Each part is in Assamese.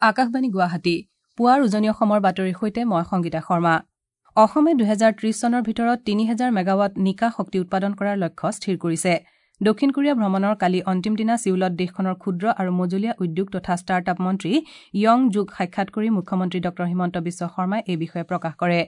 আকাশবাণী গুৱাহাটী পুৱাৰ উজনি অসমৰ বাতৰিৰ সৈতে মই সংগীতা শৰ্মা। অসমে ২০৩০ চনৰ ভিতৰত ৩০০০ মেগাৱাট নিকা শক্তি উৎপাদন কৰাৰ লক্ষ্য স্থিৰ কৰিছে। দক্ষিণ কোৰিয়া ভ্ৰমণৰ কালি অন্তিম দিনা ছিউলত দেশখনৰ ক্ষুদ্ৰ আৰু মজলীয়া উদ্যোগ তথা ষ্টাৰ্ট আপ মন্ত্ৰী য়ং জুক সাক্ষাৎ কৰি মুখ্যমন্ত্ৰী ড হিমন্ত বিশ্ব শৰ্মাই এই বিষয়ে প্ৰকাশ কৰে।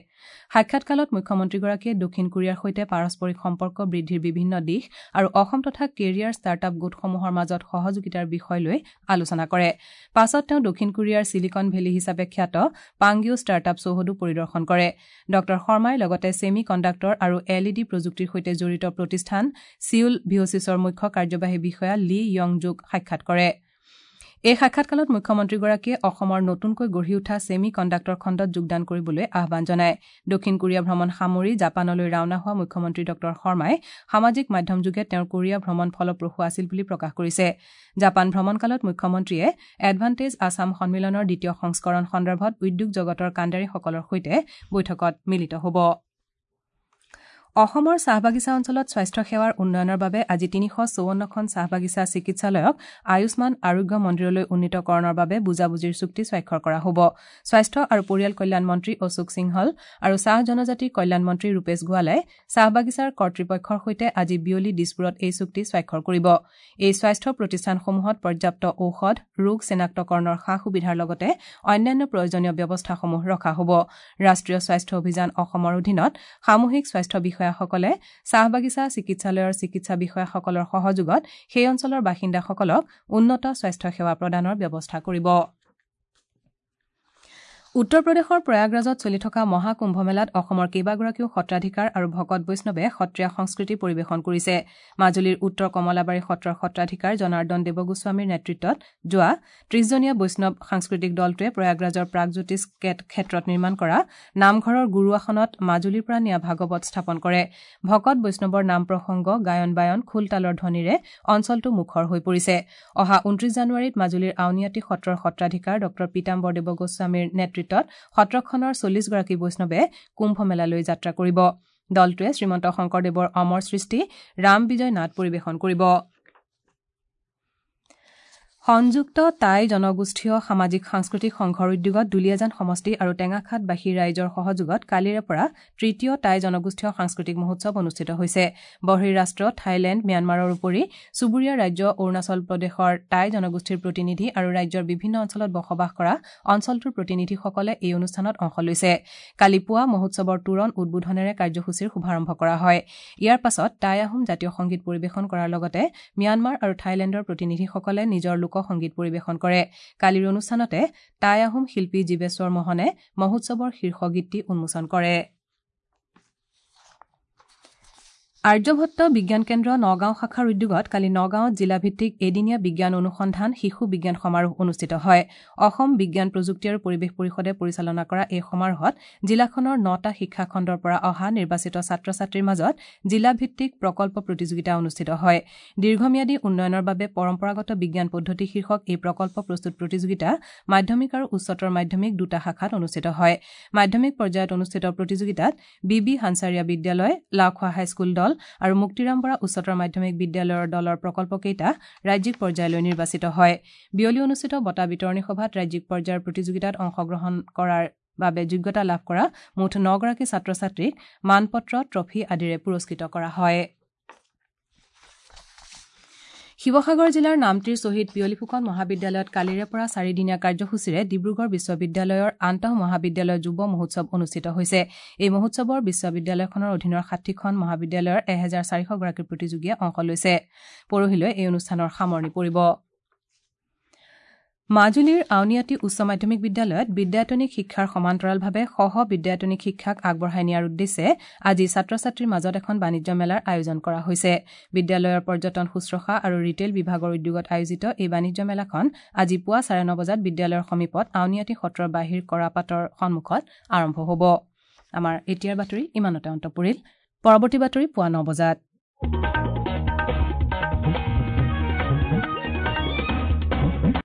সাক্ষাৎকালত মুখ্যমন্ত্ৰীগৰাকীয়ে দক্ষিণ কোৰিয়াৰ সৈতে পাৰস্পৰিক সম্পৰ্ক বৃদ্ধিৰ বিভিন্ন দিশ আৰু অসম তথা কেৰিয়াৰ ষ্টাৰ্ট আপ গোটসমূহৰ মাজত সহযোগিতাৰ বিষয় লৈ আলোচনা কৰে। পাছত তেওঁ দক্ষিণ কোৰিয়াৰ ছিলিকন ভেলী হিচাপে খ্যাত পাংগিউ ষ্টাৰ্ট আপ চৌহদো পৰিদৰ্শন কৰে। ড শৰ্মাই লগতে ছেমি কণ্ডাক্টৰ আৰু এল ই ডি প্ৰযুক্তিৰ সৈতে জড়িত প্ৰতিষ্ঠান ছিউল ভিঅ'চিছৰ মুখ্য কাৰ্যবাহী বিষয়া লি য়ং জুক সাক্ষাৎ কৰে। এই সাক্ষাৎকালত মুখ্যমন্ত্ৰীগৰাকীয়ে অসমৰ নতুনকৈ গঢ়ি উঠা ছেমি কণ্ডাক্টৰ খণ্ডত যোগদান কৰিবলৈ আহ্বান জনায়। দক্ষিণ কোৰিয়া ভ্ৰমণ সামৰি জাপানলৈ ৰাওনা হোৱা মুখ্যমন্ত্ৰী ড শৰ্মাই সামাজিক মাধ্যমযোগে তেওঁৰ কোৰিয়া ভ্ৰমণ ফলপ্ৰসূ আছিল বুলি প্ৰকাশ কৰিছে। জাপান ভ্ৰমণকালত মুখ্যমন্ত্ৰীয়ে এডভান্টেজ আছাম সন্মিলনৰ দ্বিতীয় সংস্কৰণ সন্দৰ্ভত উদ্যোগ জগতৰ কাণ্ডাৰীসকলৰ সৈতে বৈঠকত মিলিত হ'ব। অসমৰ চাহ বাগিচা অঞ্চলত স্বাস্থ্য সেৱাৰ উন্নয়নৰ বাবে আজি ৩৫৪খন চাহ বাগিচা চিকিৎসালয়ক আয়ুষ্মান আৰোগ্য মন্দিৰলৈ উন্নীতকৰণৰ বাবে বুজাবুজিৰ চুক্তি স্বাক্ষৰ কৰা হ'ব। স্বাস্থ্য আৰু পৰিয়াল কল্যাণ মন্ত্ৰী অশোক সিংহল আৰু চাহ জনজাতি কল্যাণ মন্ত্ৰী ৰূপেশ গোৱালাই চাহ বাগিচাৰ কৰ্তৃপক্ষৰ সৈতে আজি বিয়লি দিছপুৰত এই চুক্তি স্বাক্ষৰ কৰিব। এই স্বাস্থ্য প্ৰতিষ্ঠানসমূহত পৰ্যাপ্ত ঔষধ, ৰোগ চিনাক্তকৰণৰ সা সুবিধাৰ লগতে অন্যান্য প্ৰয়োজনীয় ব্যৱস্থাসমূহ ৰখা হ'ব। ৰাষ্ট্ৰীয় স্বাস্থ্য অভিযান অসমৰ অধীনত সামূহিক স্বাস্থ্য বিষয়াসকলে চাহ বাগিচা চিকিৎসালয়ৰ চিকিৎসা বিষয়াসকলৰ সহযোগত সেই অঞ্চলৰ বাসিন্দাসকলক উন্নত স্বাস্থ্য সেৱা প্ৰদানৰ ব্যৱস্থা কৰিব। উত্তৰ প্ৰদেশৰ প্ৰয়াগৰাজত চলি থকা মহাকুম্ভমেলাত অসমৰ কেইবাগৰাকীও সত্ৰাধিকাৰ আৰু ভকত বৈষ্ণৱে সত্ৰীয়া সংস্কৃতি পৰিৱেশন কৰিছে। মাজুলীৰ উত্তৰ কমলাবাৰী সত্ৰৰ সত্ৰাধিকাৰ জনাৰ্দন দেৱগোস্বামীৰ নেতৃত্বত যোৱা ৩০জনীয়া বৈষ্ণৱ সাংস্কৃতিক দলটোৱে প্ৰয়াগৰাজৰ প্ৰাগজ্যোতিষ ক্ষেত্ৰত নিৰ্মাণ কৰা নামঘৰৰ গুৰু আসনত মাজুলীৰ পৰা নিয়া ভাগৱত স্থাপন কৰে। ভকত বৈষ্ণৱৰ নাম প্ৰসংগ, গায়ন বায়ন, খোল তালৰ ধ্বনিৰে অঞ্চলটো মুখৰ হৈ পৰিছে। অহা ২৯ জানুৱাৰীত মাজুলীৰ আউনীআটী সত্ৰৰ সত্ৰাধিকাৰ ড পীতাম্বৰ দেৱগোস্বামীৰ নেতৃত্বত সত্ৰখনৰ ৪০গৰাকী বৈষ্ণৱে কুম্ভমেলালৈ যাত্ৰা কৰিব। দলটোৱে শ্ৰীমন্ত শংকৰদেৱৰ অমৰ সৃষ্টি ৰাম বিজয় নাট পৰিৱেশন কৰিব। সংযুক্ত টাই জনগোষ্ঠীয় সামাজিক সাংস্কৃতিক সংঘৰ উদ্যোগত দুলীয়াজান সমষ্টি আৰু টেঙাখাটবাসী ৰাইজৰ সহযোগত কালিৰে পৰা তৃতীয় টাই জনগোষ্ঠীয় সাংস্কৃতিক মহোৎসৱ অনুষ্ঠিত হৈছে। বহিঃৰাষ্ট্ৰ থাইলেণ্ড, ম্যানমাৰৰ উপৰি চুবুৰীয়া ৰাজ্য অৰুণাচল প্ৰদেশৰ টাই জনগোষ্ঠীৰ প্ৰতিনিধি আৰু ৰাজ্যৰ বিভিন্ন অঞ্চলত বসবাস কৰা অঞ্চলটোৰ প্ৰতিনিধিসকলে এই অনুষ্ঠানত অংশ লৈছে। কালি পুৱা মহোৎসৱৰ তোৰণ উদ্বোধনেৰে কাৰ্যসূচীৰ শুভাৰম্ভ কৰা হয়। ইয়াৰ পাছত টাই আহোম জাতীয় সংগীত পৰিৱেশন কৰাৰ লগতে ম্যানমাৰ আৰু থাইলেণ্ডৰ প্ৰতিনিধিসকলে নিজৰ লোক সংগীত পৰিৱেশন কৰে। কালিৰ অনুষ্ঠানতে টাই আহোম শিল্পী জীৱেশ্বৰ মহনে মহোৎসৱৰ শীৰ্ষ গীতটি উন্মোচন কৰে। আৰ্যভট্ট বিজ্ঞান কেন্দ্ৰ নগাঁও শাখাৰ উদ্যোগত কালি নগাঁৱত জিলাভিত্তিক এদিনীয়া বিজ্ঞান অনুসন্ধান শিশু বিজ্ঞান সমাৰোহ অনুষ্ঠিত হয়। অসম বিজ্ঞান প্ৰযুক্তি আৰু পৰিৱেশ পৰিষদে পৰিচালনা কৰা এই সমাৰোহত জিলাখনৰ ৯টা শিক্ষাখণ্ডৰ পৰা অহা নিৰ্বাচিত ছাত্ৰ ছাত্ৰীৰ মাজত জিলাভিত্তিক প্ৰকল্প প্ৰতিযোগিতা অনুষ্ঠিত হয়। দীৰ্ঘম্যাদী উন্নয়নৰ বাবে পৰম্পৰাগত বিজ্ঞান পদ্ধতি শীৰ্ষক এই প্ৰকল্প প্ৰস্তুত প্ৰতিযোগিতা মাধ্যমিক আৰু উচ্চতৰ মাধ্যমিক দুটা শাখাত অনুষ্ঠিত হয়। মাধ্যমিক পৰ্যায়ত অনুষ্ঠিত প্ৰতিযোগিতাত বি বি হানচাৰিয়া বিদ্যালয়, লাওখোৱা হাইস্কুল দল আৰু মুক্তিৰাম বৰা উচ্চতৰ মাধ্যমিক বিদ্যালয়ৰ দলৰ প্ৰকল্পকেইটা ৰাজ্যিক পৰ্যায়লৈ নিৰ্বাচিত হয়। বিয়লি অনুষ্ঠিত বঁটা বিতৰণী সভাত ৰাজ্যিক পৰ্যায়ৰ প্ৰতিযোগিতাত অংশগ্ৰহণ কৰাৰ বাবে যোগ্যতা লাভ কৰা মুঠ ৯গৰাকী ছাত্ৰ ছাত্ৰীক মানপত্ৰ, ট্ৰফী আদিৰে পুৰস্কৃত কৰা হয়। শিৱসাগৰ জিলাৰ নামতিৰ শ্বহীদ পিয়লি ফুকন মহাবিদ্যালয়ত কালিৰে পৰা চাৰিদিনীয়া কাৰ্যসূচীৰে ডিব্ৰুগড় বিশ্ববিদ্যালয়ৰ আন্তঃ মহাবিদ্যালয় যুৱ মহোৎসৱ অনুষ্ঠিত হৈছে। এই মহোৎসৱৰ বিশ্ববিদ্যালয়খনৰ অধীনৰ ৬০খন মহাবিদ্যালয়ৰ ১৪০০গৰাকী প্ৰতিযোগীয়ে অংশ লৈছে। পৰহিলৈ এই অনুষ্ঠানৰ সামৰণি পৰিব। মাজুলীৰ আউনীআটী উচ্চ মাধ্যমিক বিদ্যালয়ত বিদ্যায়তনিক শিক্ষাৰ সমান্তৰালভাৱে সহ বিদ্যায়তনিক শিক্ষাক আগবঢ়াই নিয়াৰ উদ্দেশ্যে আজি ছাত্ৰ ছাত্ৰীৰ মাজত এখন বাণিজ্য মেলাৰ আয়োজন কৰা হৈছে। বিদ্যালয়ৰ পৰ্যটন শুশ্ৰূষা আৰু ৰিটেইল বিভাগৰ উদ্যোগত আয়োজিত এই বাণিজ্য মেলাখন আজি পুৱা ৯:৩০ বজাত বিদ্যালয়ৰ সমীপত আউনীআটী সত্ৰৰ বাহিৰ কৰাপাটৰ সন্মুখত আৰম্ভ হ'ব। আমাৰ এতিয়াৰ বাতৰি ইমানতে অন্ত পৰিল। পৰৱৰ্তী বাতৰি পুৱা ৯ বজাত।